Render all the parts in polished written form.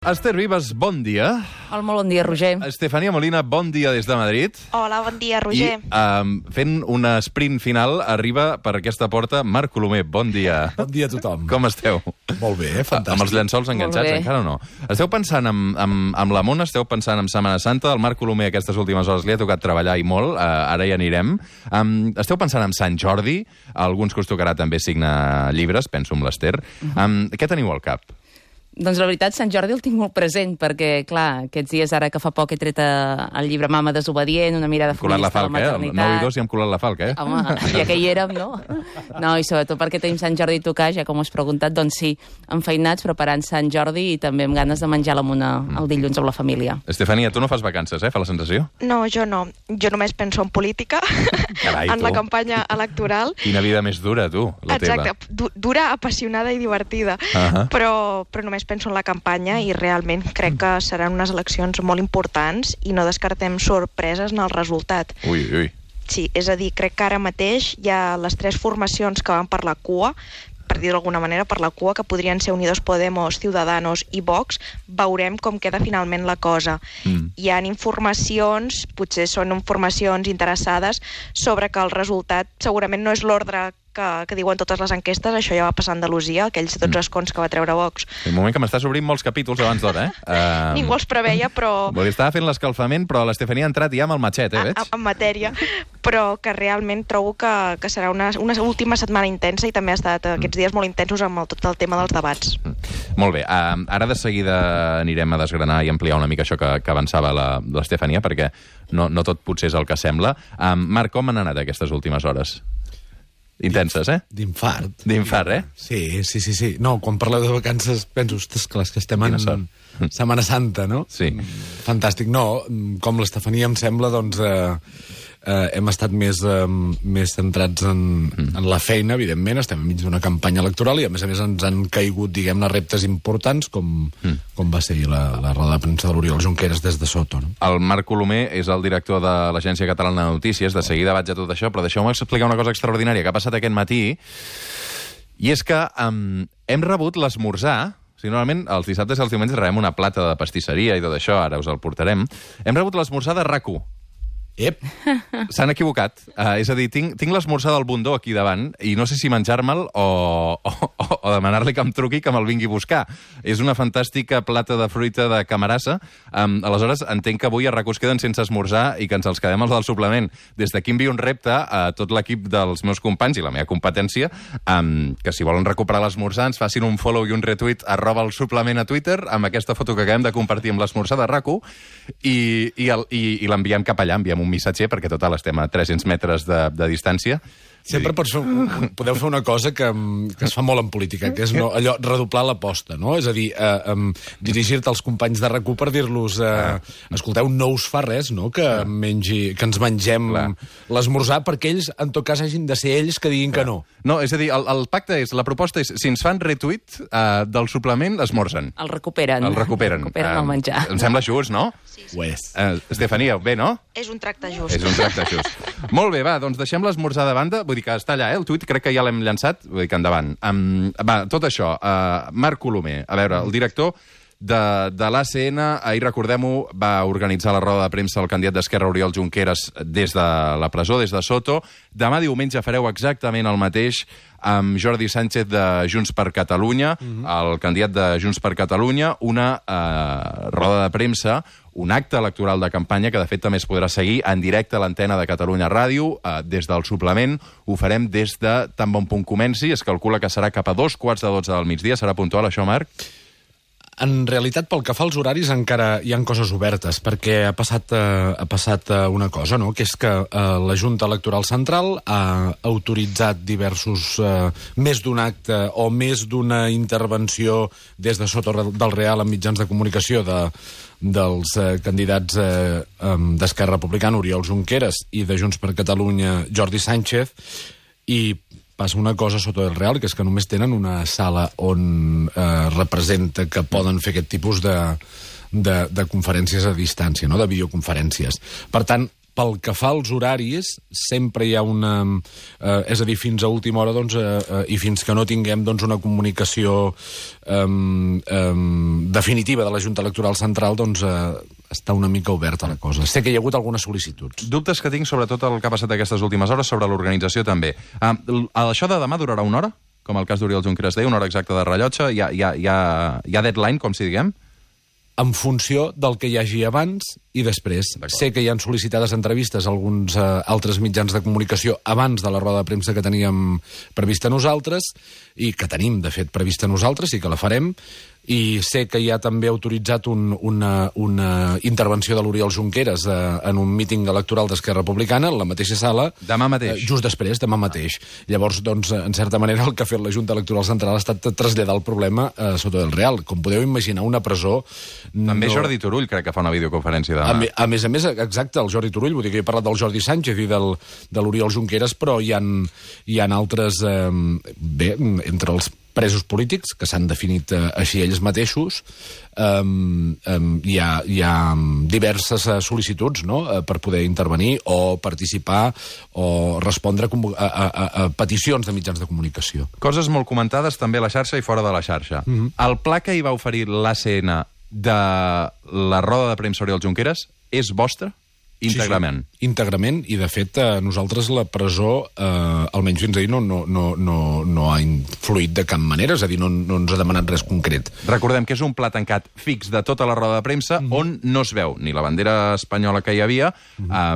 Esther Vives, bon dia. Hola, molt bon dia, Roger. Estefania Molina, bon dia des de Madrid. Hola, bon dia, Roger. I fent un sprint final arriba per aquesta porta Marc Colomer, bon dia. Bon dia a tothom. Com esteu? Molt bé, fantàstic. Amb els llençols enganxats, encara o no? Esteu pensant amb la Mona, esteu pensant en Setmana Santa, el Marc Colomer aquestes últimes hores li ha tocat treballar i molt, ara hi anirem. Esteu pensant en Sant Jordi, a alguns que us tocarà també signar llibres, penso en l'Ester. Què teniu al cap? Doncs la veritat, Sant Jordi el tinc molt present, perquè, clar, aquests dies, ara que fa poc he tret el llibre Mama desobedient, una mirada feminista a la maternitat. 9 i 2 i hem colat la falca, eh? Home, ja que hi érem, no? No, i sobretot perquè tenim Sant Jordi a tocar, ja com us he preguntat, doncs sí, enfeinats, preparant Sant Jordi i també amb ganes de menjar la Mona el dilluns amb la família. Estefania, tu no fas vacances, fa la sensació? No, jo no. Jo només penso en política, Carai, en la campanya electoral. Quina vida més dura, tu, la teva. Exacte, dura, apassionada i divertida. Però només penso en la campanya i realment crec que seran unes eleccions molt importants i no descartem sorpreses en el resultat. Ui. Sí, és a dir, crec que ara mateix hi ha les 3 formacions que van per la cua, per dir-ho d'alguna manera, per la cua, que podrien ser Unidos Podemos, Ciudadanos i Vox. Veurem com queda finalment la cosa. Hi ha informacions, potser són informacions interessades, sobre que el resultat segurament no és l'ordre que diuen totes les enquestes. Això ja va passar a Andalusia, aquells 12 escons que va treure Vox. Un moment que m'estàs obrint molts capítols abans d'hora, Ningú els preveia, però... Vull dir, estava fent l'escalfament, però l'Estefania ha entrat ja amb el matxet, veig? En matèria, però que realment trobo que serà una última setmana intensa i també ha estat aquests dies molt intensos amb tot el tema dels debats. Molt bé, ara de seguida anirem a desgranar i ampliar una mica això que avançava l'Estefania, perquè no tot potser és el que sembla. Marc, com han anat aquestes últimes hores? Intenses, D'infart. D'infart, Sí. No, quan parleu de vacances penso, ostres, clar, que estem en Setmana Santa, no? Sí. Fantàstic. No, com l'Estefania em sembla, doncs hem estat més centrats en la feina, evidentment. Estem enmig d'una campanya electoral i, a més ens han caigut, diguem-ne, reptes importants, com va ser la roda de premsa de l'Oriol Junqueras des de Soto, no? El Marc Colomer és el director de l'Agència Catalana de Notícies. De seguida vaig a tot això, però deixeu-me explicar una cosa extraordinària que ha passat aquest matí, i és que hem rebut l'esmorzar. O sigui, normalment els dissabtes i els diumenges rebem una plata de pastisseria i tot això, ara us el portarem. Hem rebut l'esmorzar de RAC1. Ep! S'han equivocat. És a dir, tinc l'esmorzar del Bundó aquí davant i no sé si menjar-me'l o demanar-li que em truqui que me'l vingui a buscar. És una fantàstica plata de fruita de Camarasa. Aleshores, entenc que avui a RAC1 es queden sense esmorzar i que ens els quedem els del suplement. Des d'aquí envio un repte a tot l'equip dels meus companys i la meva competència, que si volen recuperar l'esmorzar ens facin un follow i un retweet @el suplement a Twitter amb aquesta foto que acabem de compartir amb l'esmorzar de RAC1 i l'enviem cap allà, enviem un missatger, perquè total estem a 300 metres de distància. Sempre podeu fer una cosa que es fa molt en política, que és allò redoblar l'aposta, no? És a dir, dirigir-te als companys de RAC1 per dir-los escolteu, no us fa res, no?, que ens mengem l'esmorzar, perquè ells, en tot cas, hagin de ser ells que diguin que no. No, és a dir, el pacte és, la proposta és, si ens fan retweet del suplement, esmorzen. El recuperen. El recuperen El menjar. Em sembla just, no? Sí. Ho és. Estefania, bé, no? És un tracte just. És un tracte just. Molt bé, va, doncs deixem l'esmorzar de banda. Vull dir que està allà, el tuit crec que ja l'hem llançat. Vull dir que endavant. Va, tot això, Marc Colomer, a veure, el director de l'ACN, ahir, recordem-ho, va organitzar la roda de premsa el candidat d'Esquerra, Oriol Junqueras, des de la presó, des de Soto. Demà diumenge fareu exactament el mateix amb Jordi Sánchez de Junts per Catalunya, el candidat de Junts per Catalunya, una roda de premsa, un acte electoral de campanya que, de fet, també es podrà seguir en directe a l'antena de Catalunya Ràdio, des del suplement. Ho farem des de tan bon punt comenci. Es calcula que serà cap a 2:45 del migdia. Serà puntual, això, Marc? En realitat, pel que fa als horaris, encara hi ha coses obertes, perquè ha passat una cosa, no?, que és que la Junta Electoral Central ha autoritzat més d'un acte o més d'una intervenció des de Soto del Real en mitjans de comunicació dels candidats d'Esquerra Republicana, Oriol Junqueras, i de Junts per Catalunya, Jordi Sánchez, i passa una cosa a Soto del Real, que és que només tenen una sala on representa que poden fer aquest tipus de conferències a distància, no?, de videoconferències. Per tant, pel que fa als horaris, sempre hi ha una... és a dir, fins a última hora, doncs, i fins que no tinguem doncs, una comunicació definitiva de la Junta Electoral Central, doncs està una mica oberta la cosa. Sé que hi ha hagut algunes sol·licituds. Dubtes que tinc sobre tot el que ha passat aquestes últimes hores, sobre l'organització també. Això de demà durarà una hora? Com el cas d'Oriol Junqueras deia, una hora exacta de rellotge? Hi ha deadline, com si diguem? En funció del que hi hagi abans i després. Sé que hi han sol·licitades entrevistes a alguns altres mitjans de comunicació abans de la roda de premsa que teníem prevista nosaltres, i que tenim, de fet, prevista nosaltres, i que la farem, i sé que hi ha també autoritzat una intervenció de l'Oriol Junqueras en un míting electoral d'Esquerra Republicana, en la mateixa sala. Demà mateix. Just després, demà mateix. Llavors, doncs, en certa manera, el que ha fet la Junta Electoral Central ha estat traslladar el problema a Soto del Real. Com podeu imaginar, una presó... També Jordi Turull crec que fa una videoconferència demà. A més, exacte, el Jordi Turull, vull dir que he parlat del Jordi Sánchez i de l'Oriol Junqueras, però hi ha altres... Bé, entre els presos polítics, que s'han definit així ells mateixos, hi ha diverses sol·licituds, no?, per poder intervenir o participar o respondre a peticions de mitjans de comunicació. Coses molt comentades també a la xarxa i fora de la xarxa. El pla que hi va oferir l'ACN de la roda de premsa Oriol Junqueras és vostre? Íntegrament. Sí, íntegrament, i de fet nosaltres la presó, almenys fins ahir, no ha influït de cap manera, és a dir, no ens ha demanat res concret. Recordem que és un pla tancat fix de tota la roda de premsa on no es veu ni la bandera espanyola que hi havia,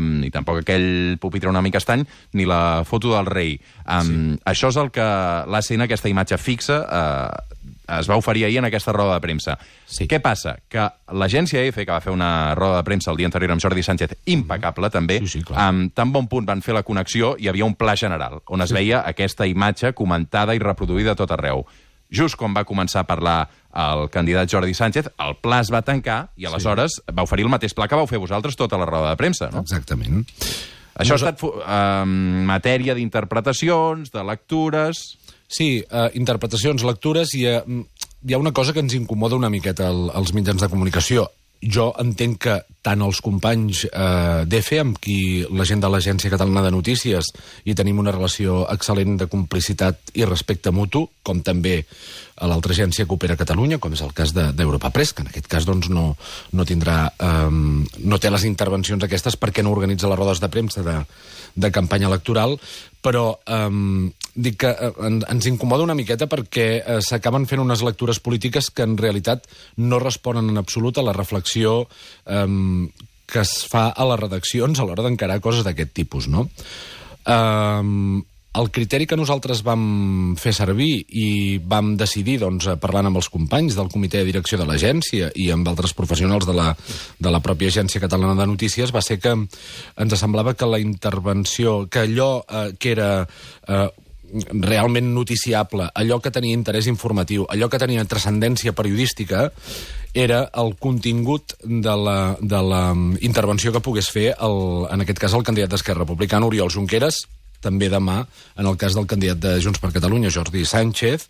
ni tampoc aquell pupitre una mica estany, ni la foto del rei. Això és el que l'ACN, aquesta imatge fixa, es va oferir ahir en aquesta roda de premsa. Sí. Què passa? Que l'agència EFE, que va fer una roda de premsa el dia anterior amb Jordi Sánchez, impecable també, amb tan bon punt van fer la connexió, hi havia un pla general, on es veia aquesta imatge comentada i reproduïda a tot arreu. Just quan va començar a parlar el candidat Jordi Sánchez, el pla es va tancar i aleshores va oferir el mateix pla que vau fer vosaltres tota la roda de premsa, no? Exactament. Això ha estat matèria d'interpretacions, de lectures... Sí, interpretacions, lectures, i hi ha una cosa que ens incomoda una miqueta als mitjans de comunicació. Jo entenc que tant els companys d'EFE, amb qui la gent de l'Agència Catalana de Notícies hi tenim una relació excel·lent de complicitat i respecte mutu, com també a l'altra agència que opera a Catalunya, com és el cas d'Europa Press, que en aquest cas doncs, no té les intervencions aquestes perquè no organitza les rodes de premsa de campanya electoral, però dic que ens incomoda una miqueta perquè s'acaben fent unes lectures polítiques que en realitat no responen en absolut a la reflexió que es fa a les redaccions a l'hora d'encarar coses d'aquest tipus, no? El criteri que nosaltres vam fer servir i vam decidir, doncs, parlant amb els companys del comitè de direcció de l'agència i amb altres professionals de la pròpia Agència Catalana de Notícies, va ser que ens semblava que la intervenció, que allò que era realment noticiable, allò que tenia interès informatiu, allò que tenia transcendència periodística, era el contingut de la intervenció que pogués fer, en aquest cas, el candidat d'Esquerra Republicana, Oriol Junqueras, també demà, en el cas del candidat de Junts per Catalunya, Jordi Sánchez,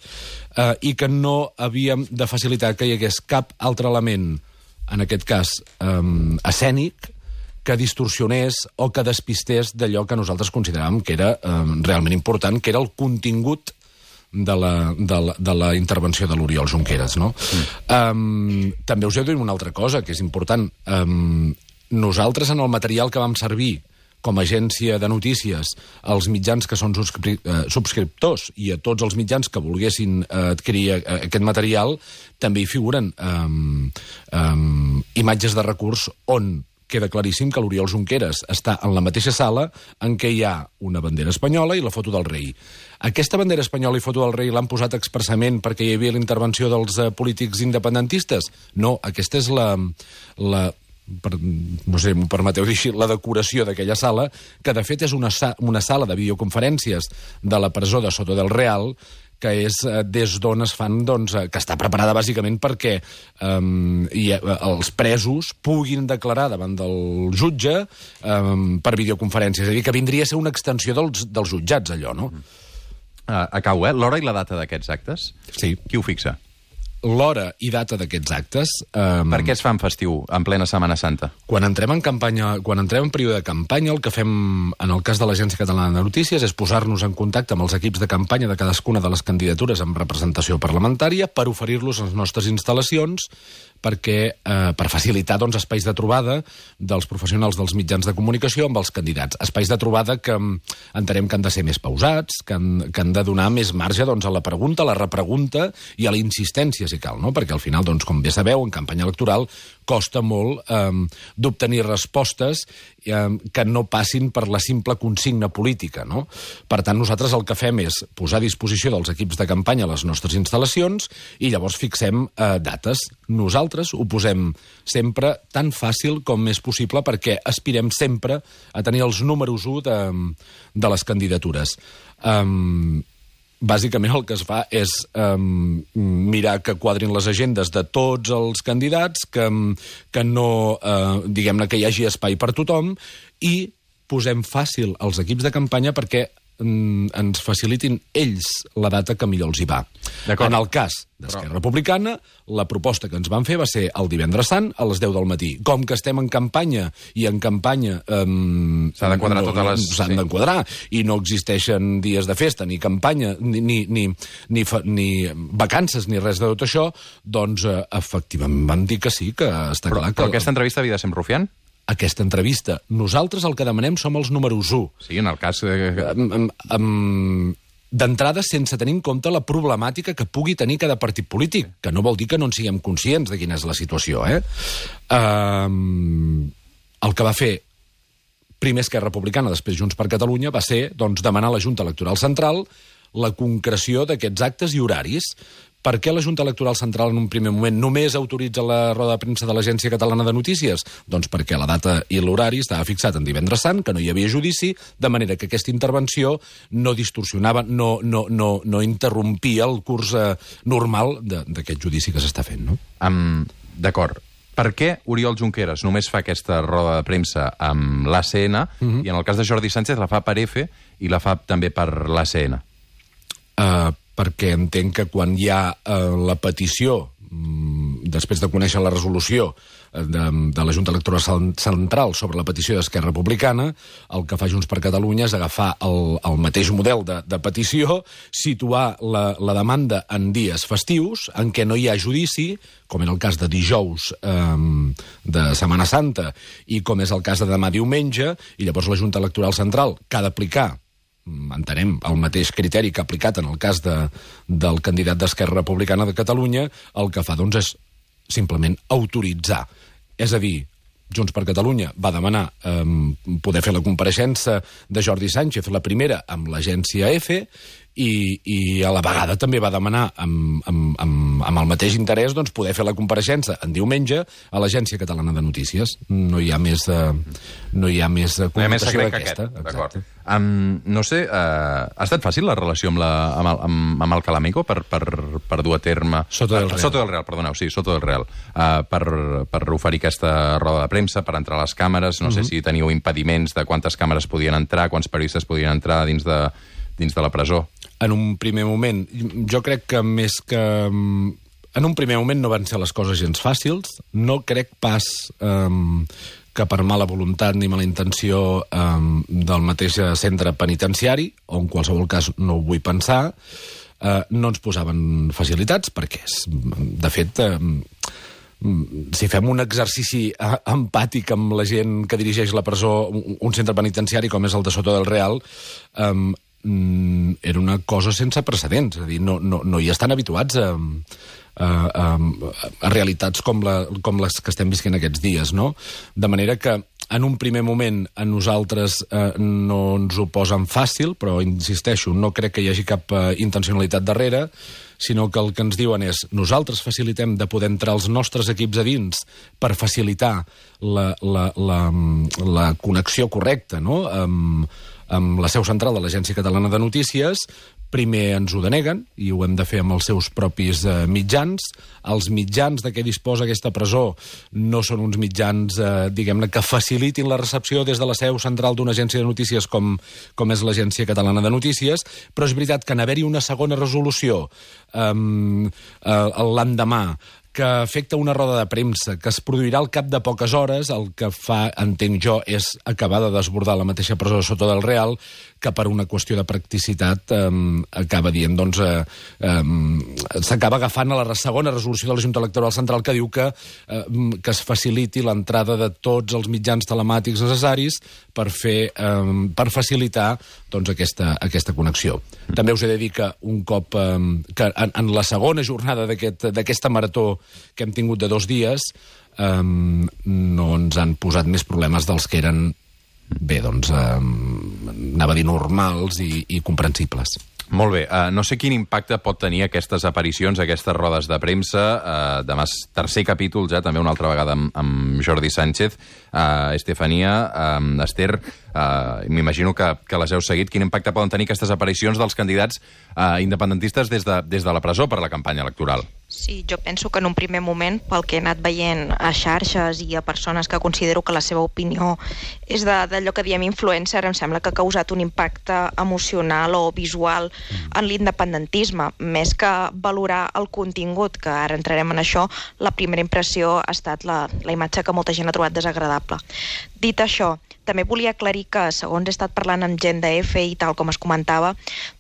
i que no havíem de facilitar que hi hagués cap altre element, en aquest cas escènic, que distorsionés o que despistés d'allò que nosaltres consideràvem que era realment important, que era el contingut de la intervenció de l'Oriol Junqueras, no? També us he de dir una altra cosa, que és important. Nosaltres, en el material que vam servir com a agència de notícies als mitjans que són subscriptors i a tots els mitjans que volguessin adquirir aquest material, també hi figuren imatges de recurs on queda claríssim que l'Oriol Junqueras està en la mateixa sala en què hi ha una bandera espanyola i la foto del rei. Aquesta bandera espanyola i foto del rei l'han posat expressament perquè hi havia la intervenció dels polítics independentistes? No, aquesta és no sé, m'ho permeteu dir així, la decoració d'aquella sala, que de fet és una sala de videoconferències de la presó de Soto del Real, que és des d'on es fan, doncs, que està preparada bàsicament perquè els presos puguin declarar davant del jutge per videoconferència. És a dir, que vindria a ser una extensió dels jutjats, allò, no? Acabo, l'hora i la data d'aquests actes? Sí. Qui ho fixa? l'hora i data d'aquests actes... Per què es fa en festiu, en plena Setmana Santa? Quan entrem en període de campanya, el que fem, en el cas de l'Agència Catalana de Notícies, és posar-nos en contacte amb els equips de campanya de cadascuna de les candidatures amb representació parlamentària per oferir-los les nostres instal·lacions per facilitar espais de trobada dels professionals dels mitjans de comunicació amb els candidats. Espais de trobada que entenem que han de ser més pausats, que han de donar més marge a la pregunta, a la repregunta i a la insistència, si cal, no? Perquè al final, com bé sabeu, en campanya electoral costa molt d'obtenir respostes que no passin per la simple consigna política, no? Per tant, nosaltres el que fem és posar a disposició dels equips de campanya les nostres instal·lacions i llavors fixem dates. Nosaltres ho posem sempre tan fàcil com és possible perquè aspirem sempre a tenir els números 1 de les candidatures. Bàsicament el que es fa és mirar que quadrin les agendes de tots els candidats, que no, diguem-ne, que hi hagi espai per tothom, i posem fàcil als equips de campanya perquè ens facilitin ells la data que millor els hi va. En el cas d'Esquerra Republicana, la proposta que ens van fer va ser el divendres sant a les 10 del matí. Com que estem en campanya, i en campanya s'ha de quadrar totes les... s'han d'enquadrar, i no existeixen dies de festa, ni campanya, ni vacances, ni res de tot això, doncs efectivament van dir que sí, que està clar que... Però aquesta entrevista havia de ser amb Rufián? Aquesta entrevista. Nosaltres el que demanem som els números 1. Sí, en el cas... D'entrada, sense tenir en compte la problemàtica que pugui tenir cada partit polític, que no vol dir que no en siguem conscients de quina és la situació, El que va fer primer Esquerra Republicana, després Junts per Catalunya, va ser demanar a la Junta Electoral Central la concreció d'aquests actes i horaris. Per què la Junta Electoral Central en un primer moment només autoritza la roda de premsa de l'Agència Catalana de Notícies? Doncs perquè la data i l'horari estava fixat en divendres sant, que no hi havia judici, de manera que aquesta intervenció no distorsionava, no interrompia el curs normal d'aquest judici que s'està fent, no? D'acord. Per què Oriol Junqueras només fa aquesta roda de premsa amb l'ACN i en el cas de Jordi Sánchez la fa per EFE i la fa també per l'ACN? Perquè entenc que quan hi ha la petició, després de conèixer la resolució de la Junta Electoral Central sobre la petició d'Esquerra Republicana, el que fa Junts per Catalunya és agafar el mateix model de petició, situar la demanda en dies festius, en què no hi ha judici, com en el cas de dijous de Setmana Santa, i com és el cas de demà diumenge, i llavors la Junta Electoral Central, que ha d'aplicar, entenem, el mateix criteri que ha aplicat en el cas del candidat d'Esquerra Republicana de Catalunya, el que fa, és simplement autoritzar. És a dir, Junts per Catalunya va demanar poder fer la compareixença de Jordi Sánchez, la primera amb l'agència EFE, i a la vegada també va demanar amb el mateix interès poder fer la compareixença en diumenge a l'Agència Catalana de Notícies. No hi ha més comunicació d'aquesta. D'acord. No sé, ha estat fàcil la relació amb el Calamico per dur a terme... Soto del Real, perdoneu, sí, Soto del Real. Per oferir aquesta roda de premsa, per entrar a les càmeres, no sé si teniu impediments de quantes càmeres podien entrar, quants periodistes podien entrar dins de la presó. En un primer moment, jo crec que més que... En un primer moment no van ser les coses gens fàcils. No crec pas que per mala voluntat ni mala intenció del mateix centre penitenciari, o en qualsevol cas no ho vull pensar, no ens posaven facilitats, perquè, de fet... si fem un exercici empàtic amb la gent que dirigeix la presó, un centre penitenciari com és el de Soto del Real, era una cosa sense precedents. És a dir, no hi estan habituats a realitats com les que estem visquent aquests dies, no? De manera que en un primer moment a nosaltres no ens ho posen fàcil, però insisteixo, no crec que hi hagi cap intencionalitat darrere, sinó que el que ens diuen és nosaltres facilitem de poder entrar els nostres equips a dins per facilitar la connexió correcta, no?, amb la seu central de l'Agència Catalana de Notícies, primer ens ho deneguen, i ho hem de fer amb els seus propis mitjans. Els mitjans de què disposa aquesta presó no són uns mitjans, diguem-ne, que facilitin la recepció des de la seu central d'una agència de notícies com és l'Agència Catalana de Notícies, però és veritat que en haver-hi una segona resolució l'endemà, que afecta una roda de premsa, que es produirà al cap de poques hores, el que fa, entenc jo, és acabar de desbordar la mateixa presó de Soto del Real, que per una qüestió de practicitat acaba dient, doncs, s'acaba agafant a la segona resolució de la Junta Electoral Central que diu que es faciliti l'entrada de tots els mitjans telemàtics necessaris per facilitar doncs, aquesta connexio. També us he de dir que un cop que en la segona jornada d'aquesta marató que hem tingut de 2 dies no ens han posat més problemes dels que eren, bé, doncs, anava a dir normals i comprensibles. Molt bé. No sé quin impacte pot tenir aquestes aparicions, aquestes rodes de premsa. Demà és 3è capítol ja, també una altra vegada amb Jordi Sánchez. Estefania, Esther, m'imagino que les heu seguit. Quin impacte poden tenir aquestes aparicions dels candidats independentistes des de la presó per a la campanya electoral? Sí, jo penso que en un primer moment, pel que he anat veient a xarxes i a persones que considero que la seva opinió és d'allò que diem influencer, em sembla que ha causat un impacte emocional o visual en l'independentisme. Més que valorar el contingut, que ara entrarem en això, la primera impressió ha estat la imatge que molta gent ha trobat desagradable. Dit això, també volia aclarir que, segons he estat parlant amb gent de EFE i tal com es comentava,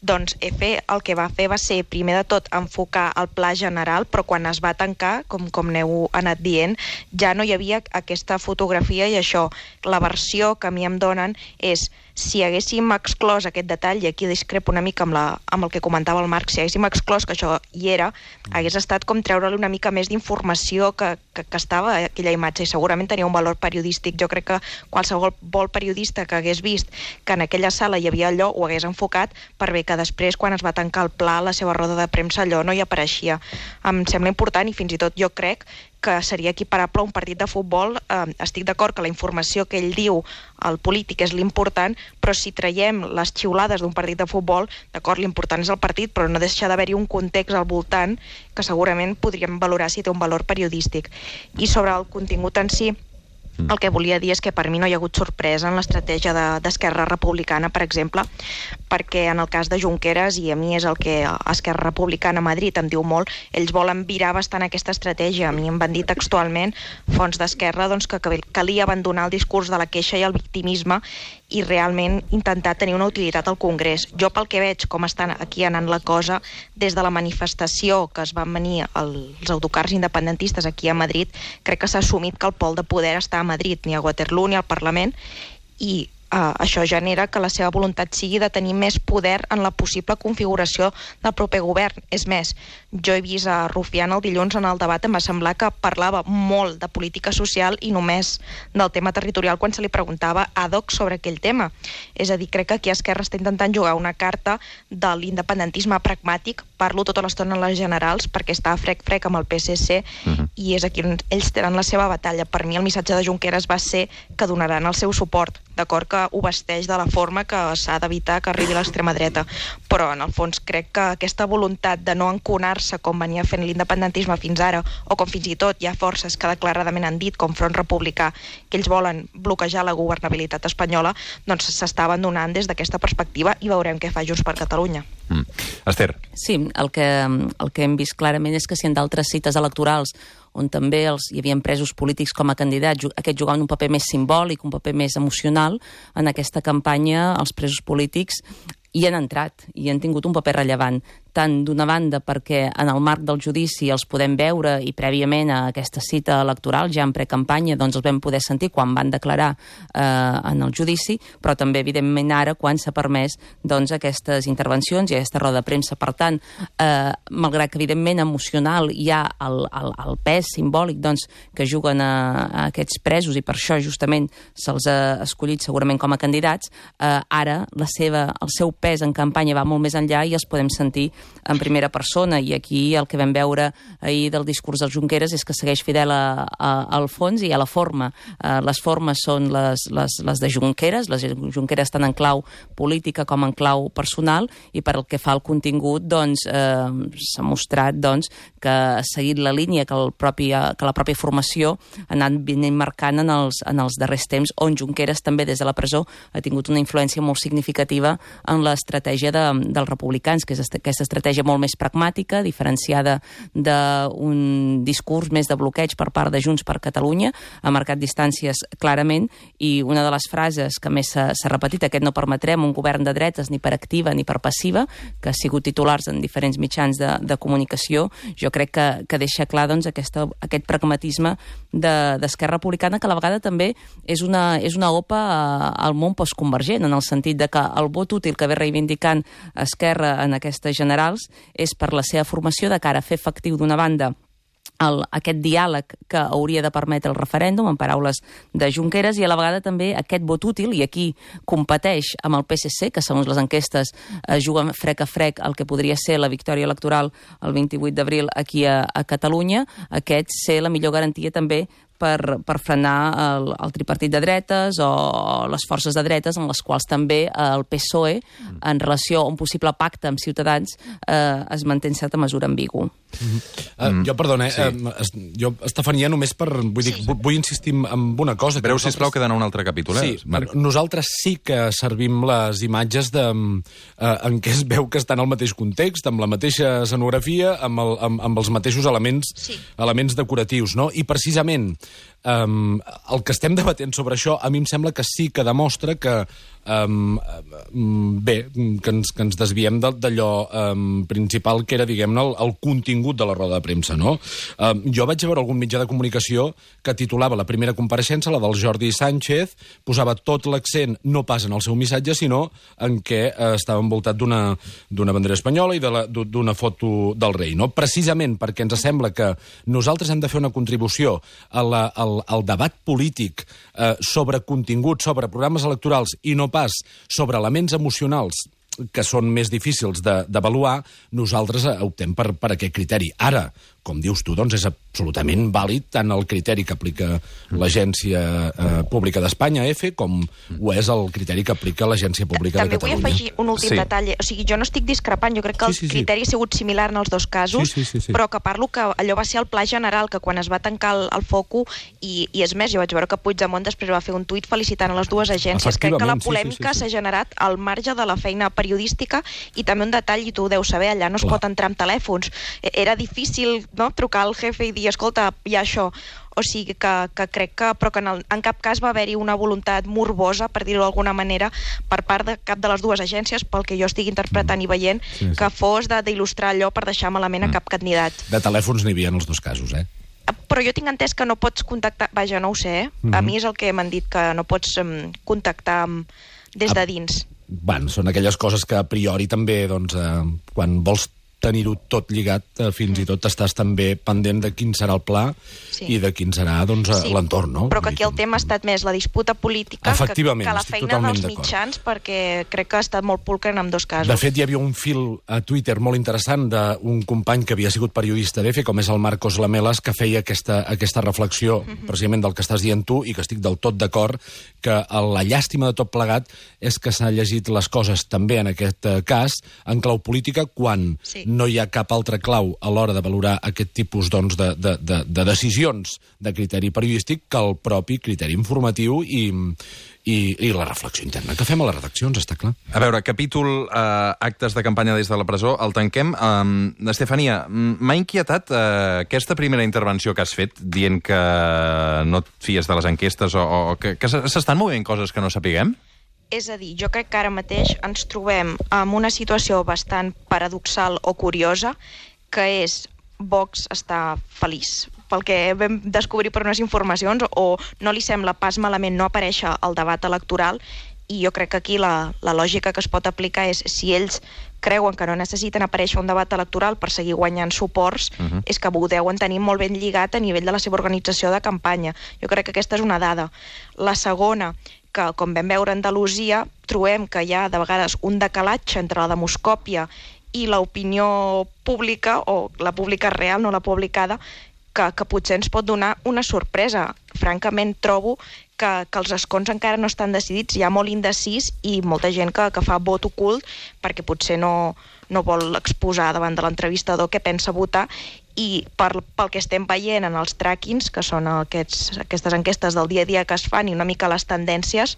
doncs EFE el que va fer va ser, primer de tot, enfocar el pla general, però quan es va tancar, com n'heu anat dient, ja no hi havia aquesta fotografia i això, la versió que a mi em donen és, si haguéssim exclòs aquest detall, i aquí discrepo una mica amb el que comentava el Marc, si haguéssim exclòs que això hi era, hagués estat com treure-li una mica més d'informació que estava a aquella imatge i segurament tenia un valor periodístic. Jo crec que qualsevol periodista que hagués vist que en aquella sala hi havia allò ho hagués enfocat, per bé que després, quan es va tancar el pla, la seva roda de premsa, allò no hi apareixia. Em sembla important i fins i tot jo crec que seria equiparable a un partit de futbol. Estic d'acord que la informació que ell diu, el polític, és l'important, però si traiem les xiulades d'un partit de futbol, d'acord, l'important és el partit, però no deixa d'haver-hi un context al voltant que segurament podríem valorar si té un valor periodístic. I sobre el contingut en si, el que volia dir és que per mi no hi ha hagut sorpresa en l'estratègia d'Esquerra Republicana, per exemple, perquè en el cas de Junqueras, i a mi és el que Esquerra Republicana a Madrid em diu molt, ells volen virar bastant aquesta estratègia. A mi em van dir textualment, fonts d'Esquerra, doncs, que calia abandonar el discurs de la queixa i el victimisme i realment intentar tenir una utilitat al Congrés. Jo, pel que veig com estan aquí anant la cosa, des de la manifestació que es van venir els autocars independentistes aquí a Madrid, crec que s'ha assumit que el pol de poder està a Madrid, ni a Waterloo ni al Parlament, i això genera que la seva voluntat sigui de tenir més poder en la possible configuració del proper govern. És més, jo he vist a Rufián el dilluns en el debat, em va semblar que parlava molt de política social i només del tema territorial quan se li preguntava ad hoc sobre aquell tema. És a dir, crec que aquí Esquerra està intentant jugar una carta de l'independentisme pragmàtic, parlo tota l'estona en les generals perquè està frec amb el PSC i és aquí on ells tenen la seva batalla. Per mi el missatge de Junqueras va ser que donaran el seu suport, d'acord que ho vesteix de la forma que s'ha d'evitar que arribi l'extrema dreta, però en el fons crec que aquesta voluntat de no enconar-se com venia fent l'independentisme fins ara, o com fins i tot hi ha forces que declaradament han dit, com Front Republicà, que ells volen bloquejar la governabilitat espanyola, doncs s'està abandonant des d'aquesta perspectiva i veurem què fa Junts per Catalunya. Esther. Sí, el que hem vist clarament és que si en d'altres cites electorals on també hi havia presos polítics com a candidats, aquests jugaven un paper més simbòlic, un paper més emocional, en aquesta campanya els presos polítics hi han entrat i han tingut un paper rellevant, tant d'una banda perquè en el marc del judici els podem veure i prèviament a aquesta cita electoral, ja en precampanya, doncs els vam poder sentir quan van declarar en el judici, però també evidentment ara quan s'ha permès doncs, aquestes intervencions i aquesta roda de premsa. Per tant, malgrat que evidentment emocional hi ha el pes simbòlic doncs, que juguen a aquests presos i per això justament se'ls ha escollit segurament com a candidats, ara el seu pes en campanya va molt més enllà i els podem sentir en primera persona, i aquí el que vam veure ahir del discurs del Junqueras és que segueix fidel al fons i a la forma. Les formes són les de Junqueras, les Junqueras tant en clau política com en clau personal, i per el que fa al contingut s'ha mostrat que ha seguit la línia que la pròpia formació ha anat marcant en els darrers temps, on Junqueras també des de la presó ha tingut una influència molt significativa en l'estratègia dels republicans, que és aquesta estratègia molt més pragmàtica, diferenciada d'un discurs més de bloqueig per part de Junts per Catalunya, ha marcat distàncies clarament, i una de les frases que més s'ha repetit, aquest no permetrem un govern de dretes ni per activa ni per passiva, que ha sigut titulars en diferents mitjans de comunicació, jo crec que deixa clar aquest pragmatisme d'Esquerra Republicana, que a la vegada també és una opa al món postconvergent, en el sentit de que el vot útil que ve reivindicant Esquerra en aquestes generals és per la seva formació de cara a fer efectiu d'una banda aquest diàleg que hauria de permetre el referèndum, en paraules de Junqueras, i a la vegada també aquest vot útil, i aquí competeix amb el PSC, que segons les enquestes juguen frec a frec el que podria ser la victòria electoral el 28 d'abril aquí a Catalunya, aquest ser la millor garantia també per frenar el tripartit de dretes o les forces de dretes, en les quals també el PSOE, en relació a un possible pacte amb Ciutadans, es manté en certa mesura ambigu. Jo, perdona, jo, Estefania, només vull insistir en una cosa. Breu, sisplau, que d'anar un altre capítol, Marc? Nosaltres sí que servim les imatges en què es veu que estan al mateix context, amb la mateixa escenografia, amb els mateixos elements decoratius, no? I precisament el que estem debatent sobre això, a mi em sembla que sí que demostra que que ens desviem d'allò principal, que era, diguem-ne, el contingut de la roda de premsa, no? Jo vaig veure algun mitjà de comunicació que titulava la primera compareixença, la del Jordi Sánchez, posava tot l'accent no pas en el seu missatge, sinó en què estava envoltat d'una bandera espanyola i d'una foto del rei, no? Precisament perquè ens sembla que nosaltres hem de fer una contribució al debat polític sobre contingut, sobre programes electorals, i no pas sobre elements emocionals que són més difícils d'avaluar, nosaltres optem per aquest criteri. Ara, com dius tu, doncs és absolutament vàlid tant el criteri que aplica l'Agència Pública d'Espanya, EFE, com ho és el criteri que aplica l'Agència Pública de Catalunya. També vull afegir un últim detall. O sigui, jo no estic discrepant, jo crec que el criteri ha sigut similar en els dos casos, però que parlo que allò va ser el pla general, que quan es va tancar el foco, i és més, jo vaig veure que Puigdemont després va fer un tuit felicitant a les dues agències. Crec que la polèmica s'ha generat al marge de la feina periodística, i també un detall, i tu ho deus saber, allà no es pot entrar amb telèfons. Era difícil, no?, trucar al jefe i dir, escolta, hi ha això. O sigui que crec que en cap cas va haver-hi una voluntat morbosa, per dir-ho d'alguna manera, per part de cap de les dues agències, pel que jo estic interpretant i veient, que fos d'il·lustrar allò per deixar malament a cap candidat. De telèfons n'hi havia en els dos casos, Però jo tinc entès que no pots contactar... Vaja, no ho sé, A mi és el que m'han dit, que no pots contactar des de dins. Bueno, són aquelles coses que a priori també, doncs, quan vols tenir-ho tot lligat, fins i tot estàs també pendent de quin serà el pla i de quin serà, doncs, l'entorn, no? Però que aquí el tema ha estat més la disputa política que la feina dels mitjans, perquè crec que ha estat molt pulcre en ambdós casos. De fet, hi havia un fil a Twitter molt interessant d'un company que havia sigut periodista d'EFE, com és el Marcos Lamelas, que feia aquesta reflexió, precisament del que estàs dient tu, i que estic del tot d'acord, que la llàstima de tot plegat és que s'ha llegit les coses també en aquest cas en clau política, quan no hi ha cap altra clau a l'hora de valorar aquest tipus, doncs, de decisions de criteri periodístic que el propi criteri informatiu i la reflexió interna que fem a les redaccions, està clar. A veure, capítol actes de campanya des de la presó, el tanquem. Estefania, m'ha inquietat aquesta primera intervenció que has fet, dient que no et fies de les enquestes o que s'estan movent coses que no sapiguem? És a dir, jo crec que ara mateix ens trobem en una situació bastant paradoxal o curiosa, que és Vox està feliç pel que vam descobrir per unes informacions, o no li sembla pas malament no aparèixer al debat electoral, i jo crec que aquí la lògica que es pot aplicar és, si ells creuen que no necessiten aparèixer un debat electoral per seguir guanyant suports, és que ho deuen tenir molt ben lligat a nivell de la seva organització de campanya. Jo crec que aquesta és una dada. La segona, que com vam veure a Andalusia, trobem que hi ha de vegades un decalatge entre la demoscòpia i l'opinió pública, o la pública real, no la publicada, que potser ens pot donar una sorpresa. Francament, trobo que els escons encara no estan decidits, hi ha molt indecís i molta gent que fa vot ocult perquè potser no vol exposar davant de l'entrevistador què pensa votar, i pel que estem veient en els trackings, que són aquestes enquestes del dia a dia que es fan i una mica les tendències,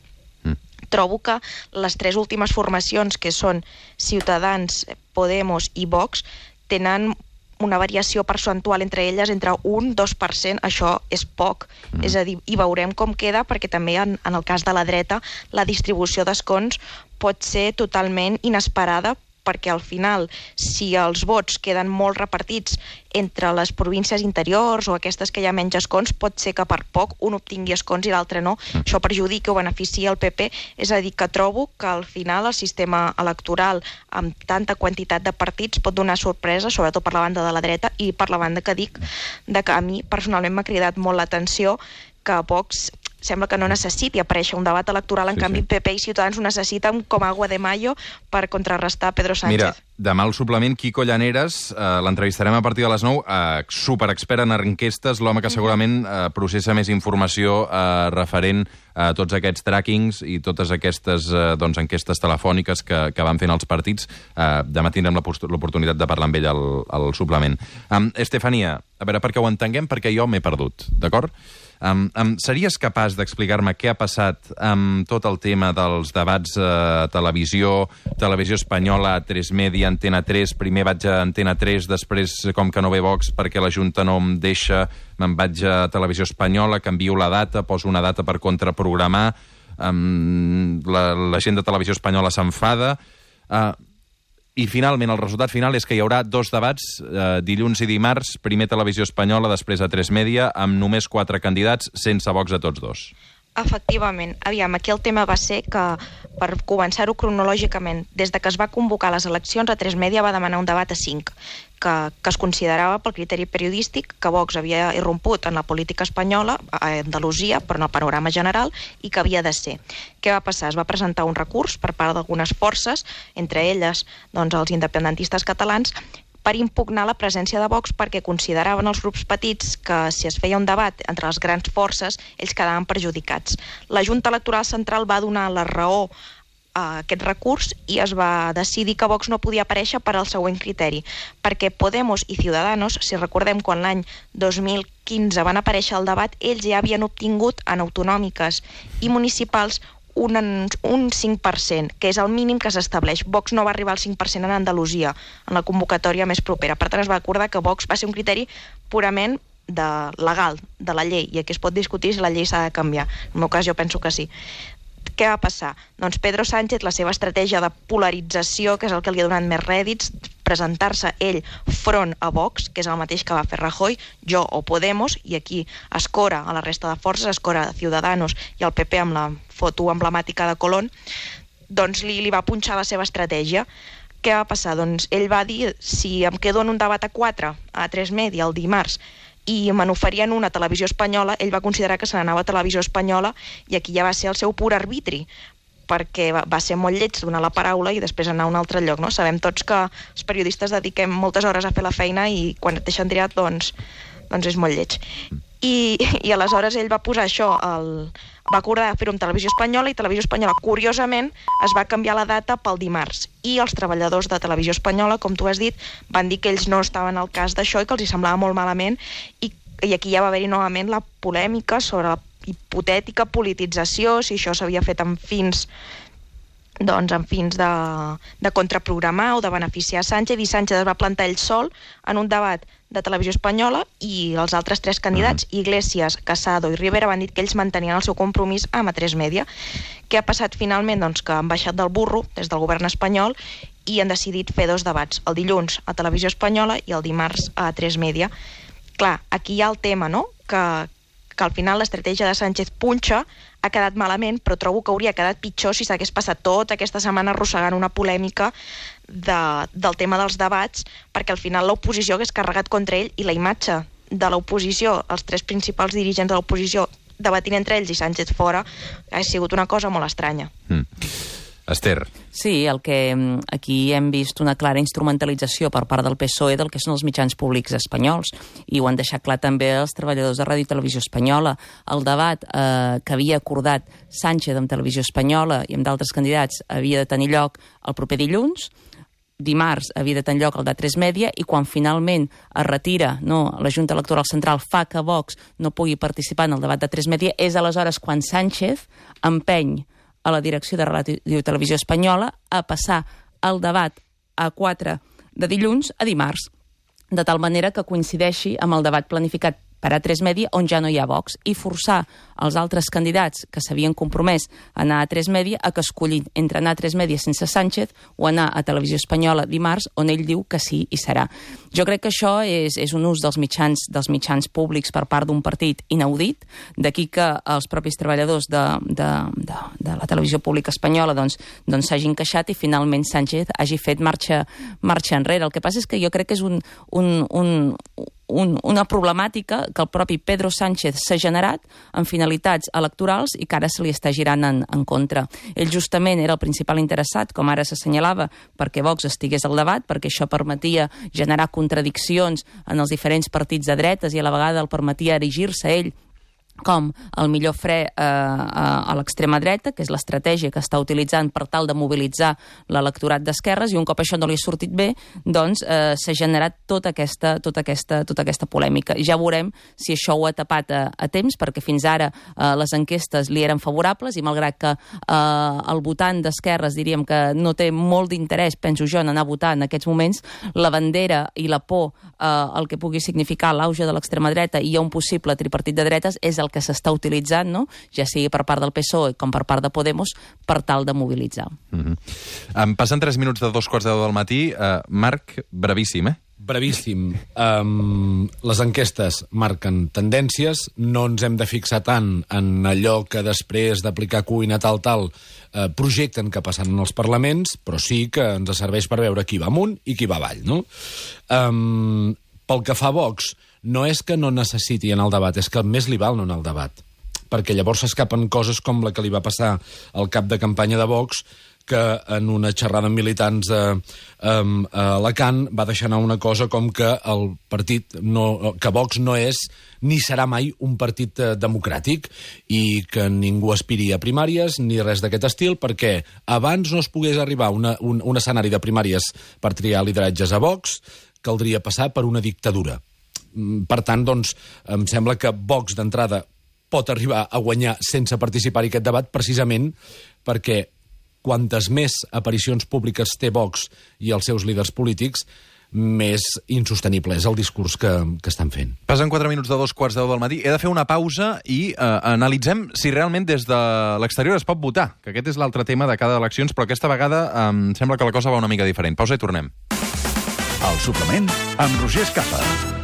trobo que les tres últimes formacions, que són Ciutadans, Podemos i Vox, tenen una variació percentual entre elles entre 1-2%, això és poc. És a dir, i veurem com queda, perquè també en el cas de la dreta la distribució d'escons pot ser totalment inesperada, perquè al final, si els vots queden molt repartits entre les províncies interiors o aquestes que hi ha menys escons, pot ser que per poc un obtingui escons i l'altre no. Això perjudica o beneficia el PP. És a dir, que trobo que al final el sistema electoral amb tanta quantitat de partits pot donar sorpresa, sobretot per la banda de la dreta, i per la banda que dic, que a mi personalment m'ha cridat molt l'atenció que Vox sembla que no necessiti aparèixer un debat electoral, en canvi PP i Ciutadans ho necessiten com agua de mayo per contrarrestar Pedro Sánchez. Mira, demà al suplement, Quico Llaneras, l'entrevistarem a partir de les 9, superexpert en enquestes, l'home que segurament processa més informació referent a tots aquests trackings i totes aquestes enquestes telefòniques que van fent els partits. Demà tindrem l'oportunitat de parlar amb ell al suplement. Estefania, a veure, perquè ho entenguem, perquè jo m'he perdut, d'acord? Series capaç d'explicar-me què ha passat amb tot el tema dels debats a televisió espanyola, A3 Media, Antena 3, primer vaig a Antena 3, després, com que no ve Vox perquè la Junta no em deixa, me'n vaig a Televisió Espanyola, canvio la data, poso una data per contraprogramar, la gent de Televisió Espanyola s'enfada, i finalment el resultat final és que hi haurà 2 debats, dilluns i dimarts, primer Televisió Espanyola, després A3 Media, amb només 4 candidats, sense Vox a tots 2. Efectivament. Aviam, aquí el tema va ser que, per començar-ho cronològicament, des de que es va convocar les eleccions, A3 Media va demanar un debat a 5, que es considerava pel criteri periodístic que Vox havia irromput en la política espanyola, a Andalusia, però en el panorama general, i que havia de ser. Què va passar? Es va presentar un recurs per part d'algunes forces, entre elles els independentistes catalans, per impugnar la presència de Vox, perquè consideraven els grups petits que si es feia un debat entre les grans forces, ells quedaven perjudicats. La Junta Electoral Central va donar la raó a aquest recurs i es va decidir que Vox no podia aparèixer per al següent criteri, perquè Podemos i Ciudadanos, si recordem quan l'any 2015 van aparèixer al debat, ells ja havien obtingut en autonòmiques i municipals un 5%, que és el mínim que s'estableix. Vox no va arribar al 5% en Andalusia, en la convocatòria més propera. Per tant, es va acordar que Vox va ser un criteri purament legal, de la llei, i aquí es pot discutir si la llei s'ha de canviar. En el meu cas, jo penso que sí. Què va passar? Doncs Pedro Sánchez, la seva estratègia de polarització, que és el que li ha donat més rèdits, presentar-se ell front a Vox, que és el mateix que va fer Rajoy, Jo o Podemos, i aquí escora a la resta de forces, escora a Ciudadanos i al PP amb la foto emblemàtica de Colón, doncs li va punxar la seva estratègia. Què va passar? Doncs ell va dir, si em quedo en un debat a 4, a A3 Media, el dimarts, i me n'oferien una a Televisió Espanyola, ell va considerar que se n'anava a Televisió Espanyola, i aquí ja va ser el seu pur arbitri, perquè va ser molt lleig donar la paraula i després anar a un altre lloc, no? Sabem tots que els periodistes dediquem moltes hores a fer la feina i quan et deixen triat, doncs és molt lleig. I aleshores ell va posar això, va acordar fer-ho amb Televisió Espanyola, i Televisió Espanyola, curiosament, es va canviar la data pel dimarts. I els treballadors de Televisió Espanyola, com tu has dit, van dir que ells no estaven al cas d'això i que els hi semblava molt malament, i aquí ja va haver-hi novament la polèmica sobre la hipotètica politització, si això s'havia fet amb fins de contraprogramar o de beneficiar Sánchez, i Sánchez es va plantar ell sol en un debat de Televisió Espanyola, i els altres 3 candidats, Iglesias, Casado i Rivera, van dir que ells mantenien el seu compromís amb A3 Media. Què ha passat finalment? Doncs que han baixat del burro des del govern espanyol i han decidit fer 2 debats, el dilluns a Televisió Espanyola i el dimarts a A3 Media. Clar, aquí hi ha el tema, no?, que al final l'estratègia de Sánchez punxa, ha quedat malament, però trobo que hauria quedat pitjor si s'hagués passat tota aquesta setmana arrossegant una polèmica del tema dels debats, perquè al final l'oposició hagués carregat contra ell, i la imatge de l'oposició, els 3 principals dirigents de l'oposició debatint entre ells i Sánchez fora, ha sigut una cosa molt estranya. Esther. Sí, el que aquí hem vist una clara instrumentalització per part del PSOE del que són els mitjans públics espanyols, i ho han deixat clar també els treballadors de Ràdio i Televisió Espanyola. El debat que havia acordat Sánchez amb Televisió Espanyola i amb d'altres candidats havia de tenir lloc el proper dilluns, dimarts havia de tenir lloc el d'A3 Media, i quan finalment es retira, la Junta Electoral Central fa que Vox no pugui participar en el debat d'A3 Media, és aleshores quan Sánchez empeny a la direcció de Ràdio i Televisió Espanyola a passar el debat A4 de dilluns a dimarts, de tal manera que coincideixi amb el debat planificat per A3 Media, on ja no hi ha Vox, i forçar els altres candidats que s'havien compromès a anar a A3 Media a que escollin entre anar a A3 Media sense Sánchez o anar a Televisió Espanyola dimarts, on ell diu que sí i serà. Jo crec que això és un ús dels mitjans públics per part d'un partit inaudit, d'aquí que els propis treballadors de la televisió pública espanyola s'hagin queixat i finalment Sánchez hagi fet marxa enrere. El que passa és que jo crec que és una problemàtica que el propi Pedro Sánchez s'ha generat amb finalitats electorals i que ara se li està girant en contra. Ell justament era el principal interessat, com ara s'assenyalava, perquè Vox estigués al debat, perquè això permetia generar contradiccions en els diferents partits de dretes i a la vegada el permetia erigir-se ell com el millor fre a l'extrema dreta, que és l'estratègia que està utilitzant per tal de mobilitzar l'electorat d'esquerres, i un cop això no li ha sortit bé, s'ha generat tota aquesta polèmica. Ja veurem si això ho ha tapat a temps, perquè fins ara les enquestes li eren favorables, i malgrat que el votant d'esquerres diríem que no té molt d'interès, penso jo, en anar a votar en aquests moments, la bandera i la por, el que pugui significar l'auge de l'extrema dreta i un possible tripartit de dretes, és el que s'està utilitzant, ja sigui per part del PSOE com per part de Podemos, per tal de mobilitzar. Em passen 3 minuts de 2:15 del matí. Marc, brevíssim, Brevíssim. Les enquestes marquen tendències, no ens hem de fixar tant en allò que després d'aplicar cuina tal, projecten que passen en els parlaments, però sí que ens serveix per veure qui va amunt i qui va avall, no? Pel que fa a Vox, no és que no necessiti anar al debat, és que més li val no anar al debat, perquè llavors s'escapen coses com la que li va passar al cap de campanya de Vox, que en una xerrada amb militants a Alacant va deixar anar una cosa com que el partit, que Vox no és ni serà mai un partit democràtic i que ningú aspiri a primàries ni res d'aquest estil, perquè abans no es pogués arribar a un escenari de primàries per triar lideratges a Vox, caldria passar per una dictadura. Per tant, em sembla que Vox d'entrada pot arribar a guanyar sense participar en aquest debat, precisament perquè quantes més aparicions públiques té Vox i els seus líders polítics, més insostenible és el discurs que estan fent. Passen 4 minuts de 2:15 del matí. He de fer una pausa i analitzem si realment des de l'exterior es pot votar, que aquest és l'altre tema de cada eleccions, però aquesta vegada em sembla que la cosa va una mica diferent. Pausa i tornem. El suplement amb Roger Escapa.